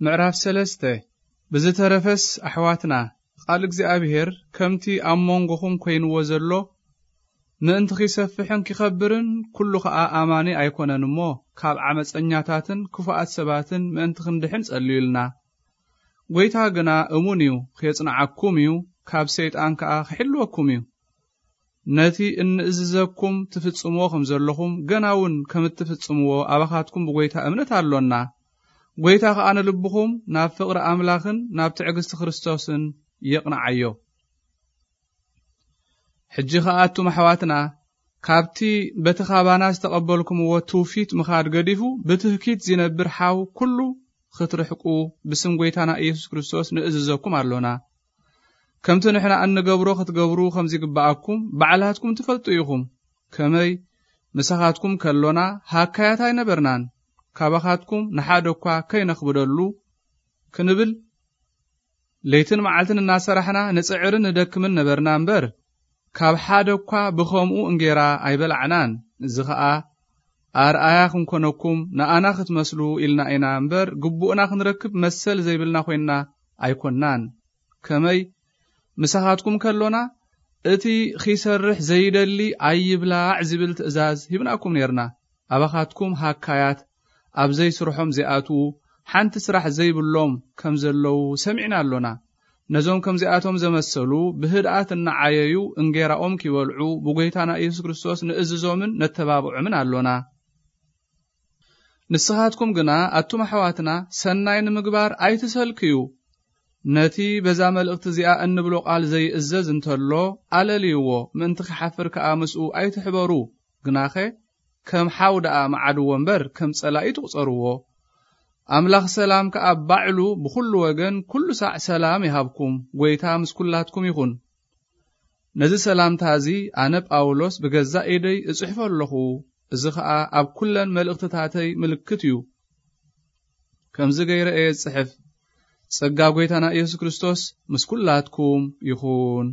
ምዕራፍ ሰለስተ። ብዝተረፈስ ኣሕዋትና፣ ቃል እግዚኣብሔር ከምቲ ኣብ መንጎኹም ኮይንዎ ዘሎ፣ ምእንቲ ኺሰፍሕን ኪኸብርን፣ ኩሉ ኸኣ ኣማኒ ኣይኮነን እሞ፣ ካብ ዓመፀኛታትን ክፉኣት ሰባትን ምእንቲ ክንድሕን ጸልዩልና። ጐይታ ግና እሙን እዩ፣ ኼጽንዓኩም እዩ፣ ካብ ሰይጣን ከኣ ኺሕልወኩም እዩ። ነቲ እንእዝዘኩም ትፍጽምዎ ከም ዘለኹም፣ ገና እውን ከም እትፍጽምዎ ኣባኻትኩም ብጐይታ እምነት ኣሎና። ጐይታ ከኣ ንልብኹም ናብ ፍቕሪ ኣምላኽን ናብ ትዕግስቲ ክርስቶስን የቕንዓዮ። ሕጂ ኸኣ ኣቱም ኣሕዋትና፣ ካብቲ በቲ ኻባና ዝተቐበልኩምዎ ትውፊት ምኻድ ገዲፉ፣ ብትህኪት ዚነብር ሓው ኩሉ ክትርሕቁ ብስም ጐይታና ኢየሱስ ክርስቶስ ንእዝዘኩም ኣሎና። ከምቲ ንሕና እንገብሮ ክትገብሩ ከም ዚግብኣኩም ባዕላትኩም ትፈልጡ ኢኹም። ከመይ ምሳኻትኩም ከሎና ሃካያት ኣይነበርናን፣ ካባኻትኩም ንሓደ እኳ ከይነኽብደሉ ክንብል ለይትን መዓልትን እናሰራሕና ንጽዕርን ንደክምን ነበርና እምበር፣ ካብ ሓደ እኳ ብኸምኡ እንጌራ ኣይበላዕናን። እዚ ኸኣ ኣርኣያ ክንኮነኩም፣ ንኣና ክትመስሉ ኢልና ኢና እምበር፣ ግቡእና ክንረክብ መሰል ዘይብልና ኮይንና ኣይኮንናን። ከመይ ምሳኻትኩም ከሎና፣ እቲ ኺሰርሕ ዘይደሊ ኣይብላዕ ዚብል ትእዛዝ ሂብናኩም ኔርና። ኣባኻትኩም ሃካያት፣ ኣብ ዘይስርሖም ዚኣትዉ፣ ሓንቲ ስራሕ ዘይብሎም ከም ዘለዉ ሰሚዕና ኣሎና። ነዞም ከምዚኣቶም ዘመሰሉ ብህድኣት እናዓየዩ እንጌራኦም ኪበልዑ ብጐይታና ኢየሱስ ክርስቶስ ንእዝዞምን ነተባብዖምን ኣሎና። ንስኻትኩም ግና ኣቱም ኣሕዋትና ሰናይ ንምግባር ኣይትሰልክዩ። ነቲ በዛ መልእኽቲ እዚኣ እንብሎ ቃል ዘይእዘዝ እንተሎ ኣለልይዎ፣ ምእንቲ ኺሓፍር ከኣ ምስኡ ኣይትሕበሩ። ግናኸ ከም ሓው ደኣ መዓድዎ እምበር ከም ጸላኢ ትቑጸርዎ። ኣምላኽ ሰላም ከኣ ባዕሉ ብኹሉ ወገን ኩሉ ሳዕ ሰላም ይሃብኩም። ጐይታ ምስ ኩላትኩም ይኹን። ነዚ ሰላምታ እዚ ኣነ ጳውሎስ ብገዛእ ኢደይ እጽሕፎ ኣለኹ። እዚ ኸኣ ኣብ ኩለን መልእኽትታተይ ምልክት እዩ። ከምዚ ገይረ እየ ዝጽሕፍ። ጸጋ ጐይታና ኢየሱስ ክርስቶስ ምስ ኩላትኩም ይኹን።